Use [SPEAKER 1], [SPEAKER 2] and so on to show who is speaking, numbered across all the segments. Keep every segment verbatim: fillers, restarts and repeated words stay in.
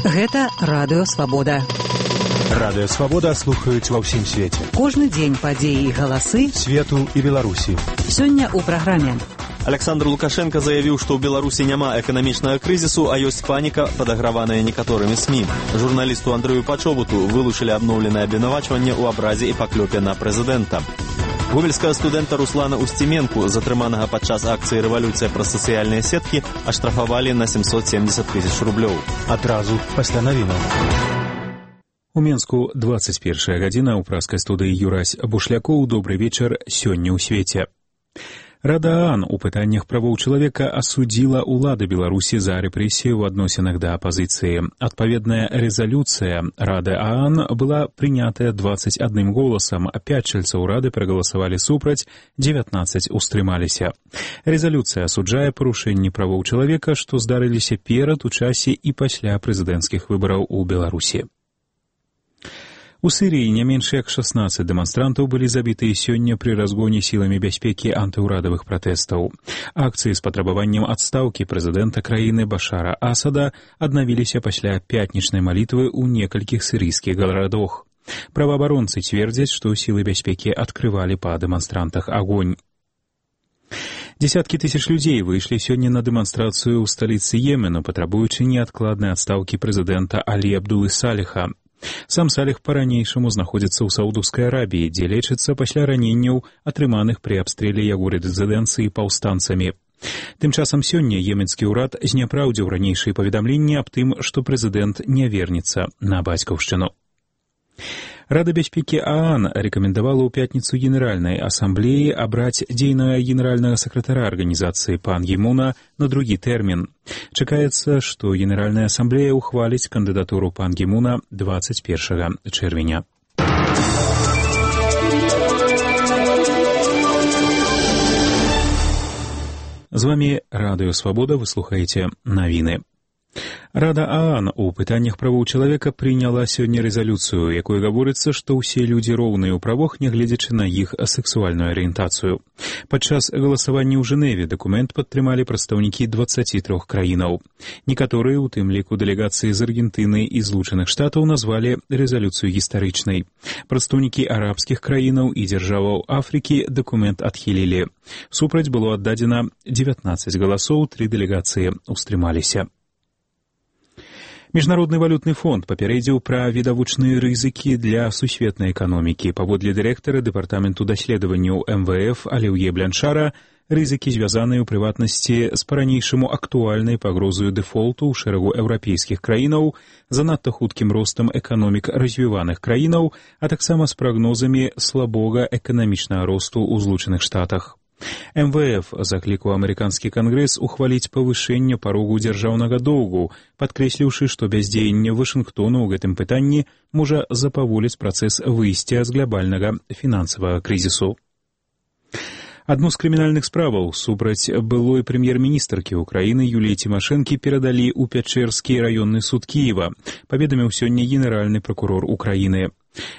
[SPEAKER 1] Гэта Радыё Свабода.
[SPEAKER 2] Радыё Свабода слухаюць ва ўсім свеце.
[SPEAKER 1] Кожны дзень падзеі і галасы
[SPEAKER 2] свету і Беларусі.
[SPEAKER 1] Сёння ў праграме.
[SPEAKER 3] Александр Лукашенко заявіў, што ў Беларусі няма эканамічнага крызісу, а ёсць паніка, падаграваная некаторымі СМІ. Журналісту Андрэю Пачобуту вылучылі абноўленае абвінавачванне ў абразе і паклёпе на прэзідэнта. Гомельскага студэнта Руслана Устименку, затрыманага падчас акцыі «Рэвалюцыя» праз сацыяльныя сеткі, аштрафавалі на семьсот семьдесят тысяч рублёў.
[SPEAKER 2] Адразу пасля навінаў.
[SPEAKER 4] У Менску двадцать первая гадзіна ў праскай студыі Юрась Бушлякоў. Добры вечар сёння ў свеце. Рада ААН у пытаннях правоў чалавека асудзіла ўлады Беларусі за рэпрэсію ў адносінах да апазіцыі. Адпаведная рэзалюцыя Рады ААН была прынятая двадцать одним голасам, а пяць чальцоў Рады прагаласавалі супраць, дзевятнаццаць устрымаліся. Рэзалюцыя асуджае парушэнні правоў чалавека, што здарыліся перад, у часе і пасля прэзідэнцкіх выбараў у Беларусі. У Сірыі не менш як шаснаццаць дэманстрантаў былі забітыя сёння пры разгоне сіламі бяспекі антыўрадавых пратэстаў. Акцыі з патрабаваннем адстаўкі прэзідэнта краіны Башара Асада аднавіліся пасля пятнічнай малітвы ў некалькіх сірыйскіх гарадах. Праваабаронцы цвердзяць, што сілы бяспекі адкрывалі па дэманстрантах агонь. Десяткі тысяч людзей выйшлі сёння на дэманстрацыю ў сталіцы Йемену, патрабуючы неадкладнай адстаўкі прэзідэнта Алі Абдулы Саліха. Сам Саліх па-ранейшаму знаходзіцца ў Саудаўскай Арабіі, дзе лечыцца пасля раненняў, атрыманых пры абстрэле яго рэзідэнцыі паўстанцамі. Тым часам сёння йеменскі ўрад зняпраўдзіў ранейшыя паведамленні аб тым, што прэзідэнт не вернецца на бацькаўшчыну. Рада бяспекі ААН рэкамендавала ў пятніцу Генеральнай асамблеі абраць дзейнага генеральнага сакратара арганізацыі Пан Гі Муна на другі тэрмін. Чакаецца, што Генеральная асамблея ўхваліць кандыдатуру Пан Гі Муна двадцать первого чэрвеня. З вамі Радыё Свабода, вы слухаеце навіны. Рада ААН у пытаннях правоў чалавека прыняла сёння рэзалюцыю, якой гаворыцца, што ўсе людзі роўныя ў правах, нягледзячы на іх сексуальную арыентацыю. Падчас галасавання ў Жэневе дакумент падтрымалі прадстаўнікі дваццаці трох краінаў. Некаторыя, у тым ліку дэлегацыі з Аргентыны і Злучаных Штатаў, назвалі рэзалюцыю гістарычнай. Прадстаўнікі арабскіх краінаў і дзяржаваў Афрыкі дакумент адхілілі. Супраць было аддадзена дзевятнаццаць галасоў, тры дэлегацыі устрымаліся. Міжнародны валютны фонд папярэдзіў пра відавочныя рызыкі для сусветнай эканомікі. Паводле дырэктара дэпартаменту даследаванняў эм вэ эф Алеўе Бляншара, рызыкі звязаныя ў прыватнасці з па-ранейшаму актуальнай пагрозаю дэфолту ў шэрагу еўрапейскіх краінаў, занадта хуткім ростам эканомік развіваных краінаў, а таксама з прагнозамі слабога эканамічнага росту ў Злучаных Штатах. эм вэ эф заклікаў амерыканскі кангрэс ухваліць павышэнне парогу дзяржаўнага доўгу, падкрэсліўшы, што бяздзеянне Вашынгтону ў гэтым пытанні можа запаволіць працэс выйсця з глобальнага фінансавага крызісу. Адну з крымінальных справаў супраць былой прэм'ер-міністркі ўкраіны Юліі Цімашэнкі перадалі ў Пячэрскі раённы суд Кіева, паведаміў сёння генеральны пракурор Украіны.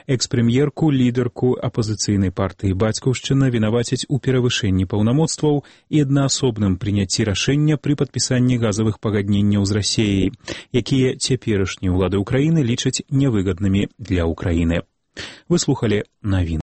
[SPEAKER 4] Экс-прэм'ерку, лідарку апазіцыйнай партыі «Бацькаўшчына» вінавацяць у перавышэнні паўнамоцтваў і аднаасобным прыняцці рашэння пры падпісанні газавых пагадненняў з Расіяй, якія цяперашнія ўлады Украіны лічаць нявыгаднымі для Украіны. Вы слухалі навіны.